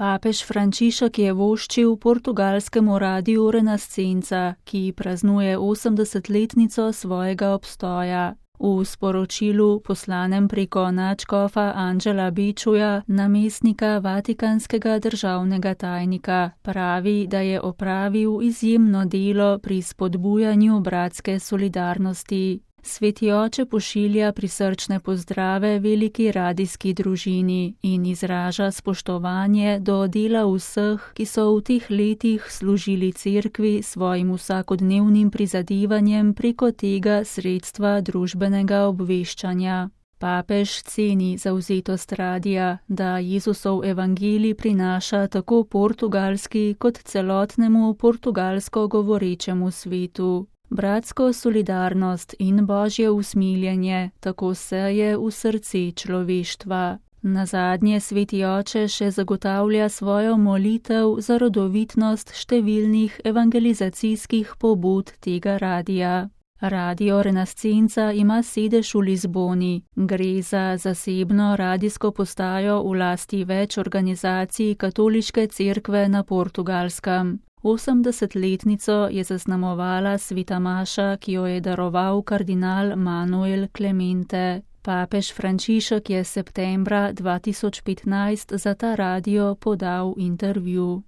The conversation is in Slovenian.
Papež Frančišek je voščil portugalskemu radiu Renascenca, ki praznuje 80-letnico svojega obstoja. V sporočilu, poslanem preko nadškofa Anđela Bečuja, namestnika vatikanskega državnega tajnika, pravi, da je opravil izjemno delo pri spodbujanju bratske solidarnosti. Sveti oče pošilja prisrčne pozdrave veliki radijski družini in izraža spoštovanje do dela vseh, ki so v teh letih služili cerkvi svojim vsakodnevnim prizadevanjem preko tega sredstva družbenega obveščanja. Papež ceni zavzetost radija, da Jezusov evangelij prinaša tako portugalski kot celotnemu portugalsko govorečemu svetu. Bratsko solidarnost in božje usmiljenje tako seje v srce človeštva. Nazadnje sveti oče še zagotavlja svojo molitev za rodovitnost številnih evangelizacijskih pobud tega radija. Radio Renascenca ima sedež v Lizboni. Gre za zasebno radijsko postajo v lasti več organizacij katoliške cerkve na Portugalskem. 80-letnico je zaznamovala sveta maša, ki jo je daroval kardinal Manuel Clemente. Papež Frančišek je septembra 2015 za ta radio podal intervju.